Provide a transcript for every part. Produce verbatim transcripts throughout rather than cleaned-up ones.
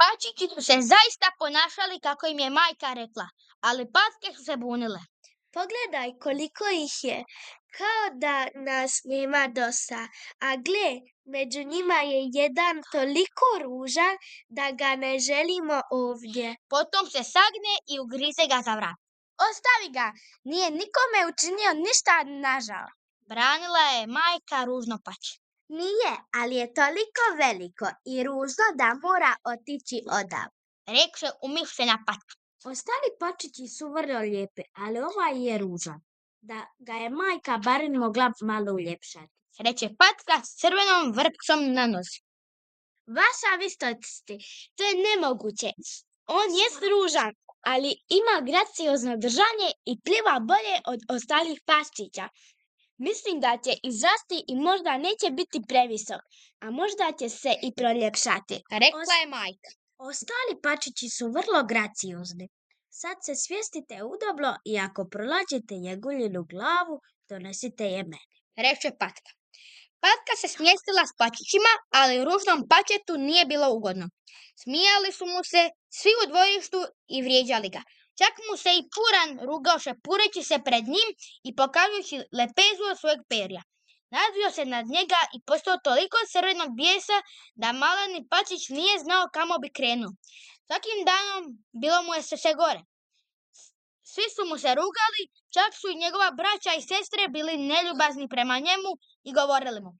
Pačići su se zaista ponašali kako im je majka rekla, ali patke su se bunile. Pogledaj koliko ih je, kao da nas nema dosta, a gle, među njima je jedan toliko ružan da ga ne želimo ovdje. Potom se sagne i ugrize ga za vrat. Ostavi ga, nije nikome učinio ništa nažal. Branila je majka ružno pače. Nije, ali je toliko veliko i ružno da mora otići odav, rekše umišljena patka. Ostali pačići su vrlo lijepi, ali ovaj je ružan, da ga je majka barem mogla malo uljepšati, reče patka s crvenom vrpcom na nozi. Vaša vistosti, to je nemoguće. On je ružan, ali ima graciozno držanje i pliva bolje od ostalih pačića. Mislim da će izrasti i možda neće biti previsok, a možda će se i proljepšati, rekla je majka. Ostali pačići su vrlo graciozni. Sad se svjestite udobno i ako prolađete njeguljinu glavu, donesite je meni, reče patka. Patka se smjestila s pačićima, ali ružnom pačetu nije bilo ugodno. Smijali su mu se svi u dvorištu i vrijeđali ga. Čak mu se i puran rugao šepureći se pred njim i pokazujući lepezu od svojeg perja. Nadvio se nad njega i postao toliko crvenog bijesa da maleni pačić nije znao kamo bi krenuo. Svakim danom bilo mu je sve gore. Svi su mu se rugali, čak su i njegova braća i sestre bili neljubazni prema njemu i govorili mu: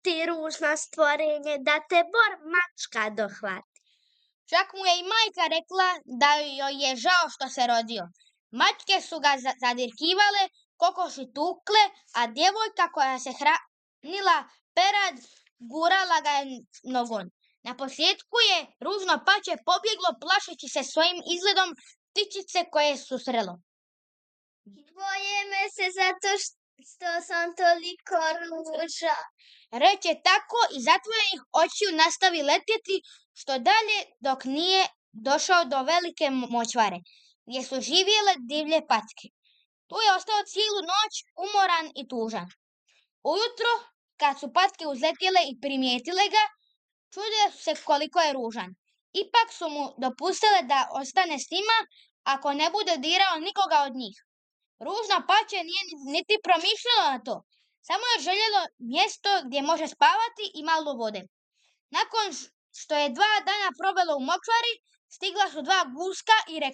ti ružno stvorenje, da te bor mačka dohvati. Čak mu je i majka rekla da joj je žao što se rodio. Mačke su ga zadirkivale, kokoši tukle, a djevojka koja se hranila perad gurala ga je nogom. Na posljedku je ružno pače pobjeglo plašeći se svojim izgledom ptičice koje su srelo. Boje me se zato što sam toliko ružan, reče tako i zatvorenih očiju nastavi letjeti što dalje dok nije došao do velike močvare, gdje su živjele divlje patke. Tu je ostao cijelu noć umoran i tužan. Ujutro, kad su patke uzletjele i primijetile ga, čudile su se koliko je ružan. Ipak su mu dopustile da ostane s njima ako ne bude dirao nikoga od njih. Ružno pače nije niti promišljalo na to. Samo je željelo mjesto gdje može spavati i malo vode. Nakon što je dva dana provelo u močvari, stigla su dva guska i rekla: